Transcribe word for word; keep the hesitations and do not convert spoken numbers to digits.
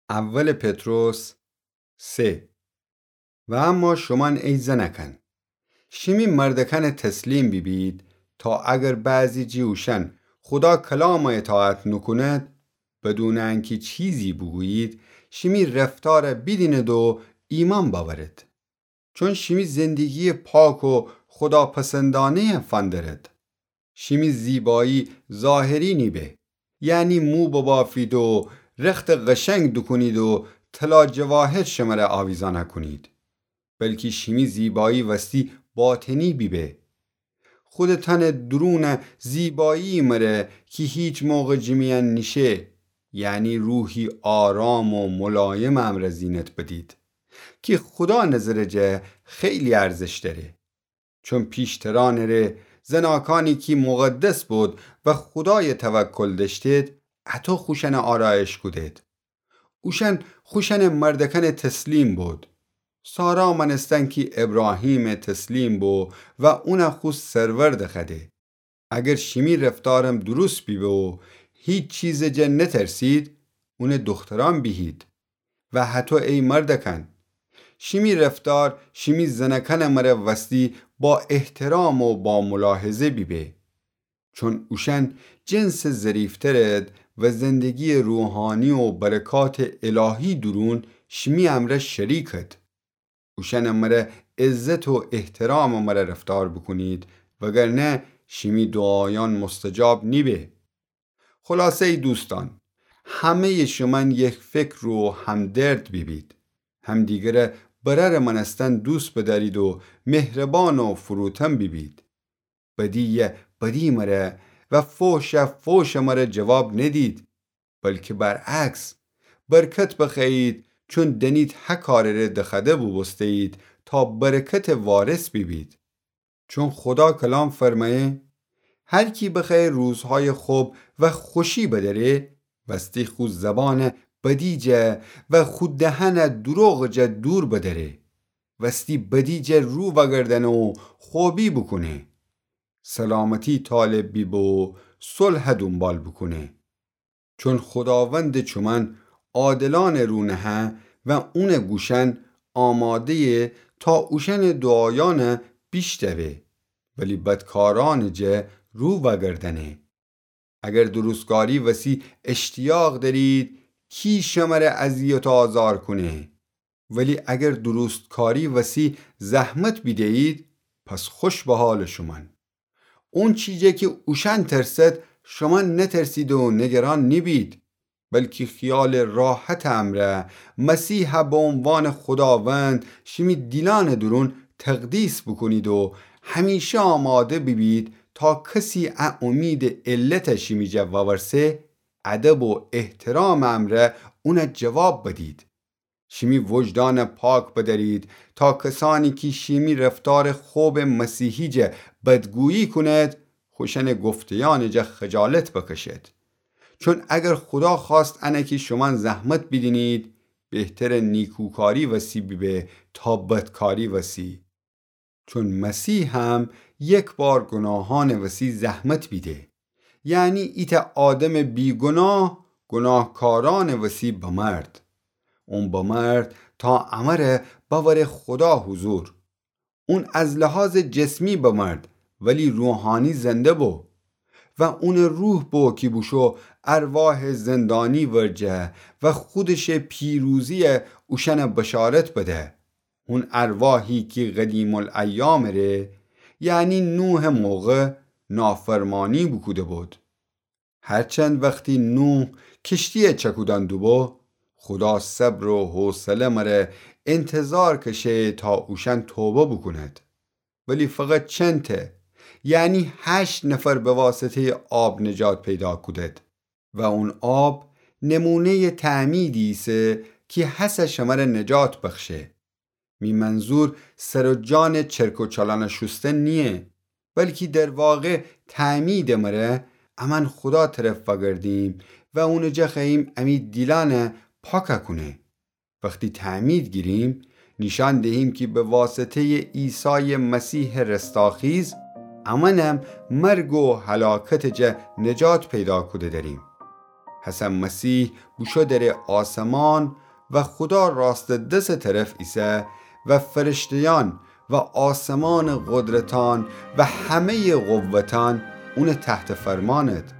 اول پطرس سه. و اما شومأن ای زنأکأن، شیمی مردأکأنٚ تسلیم بیبید، تا اگر بعضی جٚه اوشأن خودا کلامَ اطاعت نوکوند، بدونٚ انکی چیزی بوگویید، شیمی رفتارَ بیدینید و ایمأن بأورید. چون شیمی زندگییٚ پاک و خوداپسندأنه‌یَ فندرید. شیمی زیبایی ظاهری نیبه، یعنی مو ببافید و رختَ قشنگ دوکونید و طلا جواهر شمره آویزأنَ کونید، بلکی شیمی زیبایی وستی باطنی بیبه. خودٚ تنٚ دورونٚ زیبایی مره کی هیچ موقع جٚه میأن نیشه، یعنی روحی آرام و ملایمٚ امرأ زینت بدید، کی خودا نظرٚ جا خیلی ارزش دأره. چون پیشترأنٚ ره زناکأنی کی مقدس بودید و خودایَ توکل دأشتید، اطو خوشأنَ آرایش کودید. اوشأن خوشأنٚ مردأکأنٚ تسلیم بودید. سارا مأنستن کی ابراهیمٚ تسلیم بو و اونَ خو سرور دخوأده. اگر شیمی رفتارم دوروست بیبه و هیچ چیزٚ جا نترسید، اونٚ دوخترأن بیهید. و هطو ای مردأکأن، شیمی رفتار شیمی زنأکأنٚ مره وستی با احترام و با ملاحظه بیبه. چون اوشأن جنسٚ ظریفترید و زندگییٚ روحانی و برکاتٚ الهی دورون شیمی امرأ شریکید. اوشأنٚ مره عزت و احترامٚ مره رفتار بوکونید، وگرنه شیمی دوعایأن مستجاب نیبه. خلاصه ای دوستأن، همه‌یٚ شومأن یک فکر و همدرد بیبید. همدیگرَ برأرٚ مأنستن دوست بدأرید و مهربان و فروتن بیبید. بدییَ بدی مره و فحشَ فحشٚ مره جواب ندید، بلکی برعکس، برکت بخوأیید، چون دأنید هه کارٚ ره دخوأده بوبوسته‌یید تا برکتٚ وارث بیبید. چون خودا کلام فرمأیه: هر کی بخوأیه روزهایٚ خب و خوشی بدأره، وستی خو زبانَ بدی جا و خو دهنَ دروغٚ جا دور بدأره. وستی بدی جا رو وأگردأنه و خوبی بوکونه. سلامتی طالب بیبه و صلحَ دونبال بوکونه. چون خوداوندٚ چومأن عادلأنٚ رو نهه و اونٚ گوشأن آماده‌یه تا اوشأنٚ دوعایأنَ بیشتوه، ولی بدکارأنٚ جا رو وأگردأنه. اگر درستکاری وسی اشتیاق دأرید، کی شمره اذیت و آزار کونه؟ ولی اگر درستکاری وسی زحمت بیده‌یید، پس خوش به حالٚ شومأن. اونچی جا کی اوشأن ترسد، شومأن نترسید و نگران نیبید، بلکی خیالٚ راحتٚ امرأ مسیحَ به عنوانٚ خوداوند شیمی دیلأنٚ دورون تقدیس بوکونید و همیشه آماده بیبید تا کسی ا امیدٚ علتَ شیمی جا وأورسه، ادب و احترامٚ امرأ اونَ جواب بدید. شیمی وجدانَ پاک بدأرید تا کسأنی کی شیمی رفتارٚ خبٚ مسیحی جا بدگویی کونید، خوشأنٚ گفته‌یأنٚ جا خجالت بکشید. چون اگر خودا خواست انه کی شومأن زحمت بیدینید، بهترٚ نیکوکاری وسی بیبه تا بدکاری وسی. چون مسیح هم یک بار گوناهأنٚ وسی زحمت بیده، یعنی ایتأ آدمٚ بیگوناه گوناهکارأنٚ وسی بمرد. اون بمرد تا امره بأوره خودا حضور. اون از لحاظٚ جسمی بمرد، ولی روحانی زنده بو. و اونٚ روح بو کی بوشو ارواحٚ زندانی ورجه و خودشٚ پیروزیَ اوشأنَ بشارت بده. اون ارواحی کی قدیم‌الایامٚ ره، یعنی نوحٚ موقع، نافرمانی بوکوده بود. هرچند وختی نوح کشتیَ چکودأن دوبو، خودا صبر و حوصله مره انتظار کشه تا اوشأن توبه بوکوند. ولی فقط چنته، یعنی هشت نفر به واسطه‌یٚ آب نجات پیدا کودد. و اون آب نمونه‌یٚ تعمیدی ایسه کی هسه شمره نجات بخشه. می منظور سر و جانٚ چرک و چالانَ شوستن نییه، بلکی در واقع تعمیدٚ مره امأن خودا طرف وأگردیم و اونٚ جا خوأییم امی دیلأنَ پاکَ کونه. وختی تعمید گیریم، نیشأن دهیم کی به واسطه‌یٚ عیسایٚ مسیحٚ رستاخیز، امأنم مرگ و هلاکتٚ جا نجات پیدا کوده دأریم. پس مسیح بوشو دره آسمان و خودا راستٚ دسٚ طرف ایسه و فرشته‌یأن و آسمانٚ قدرتأن و همه‌یٚ قوتأن اونٚ تحت فرمأنٚد.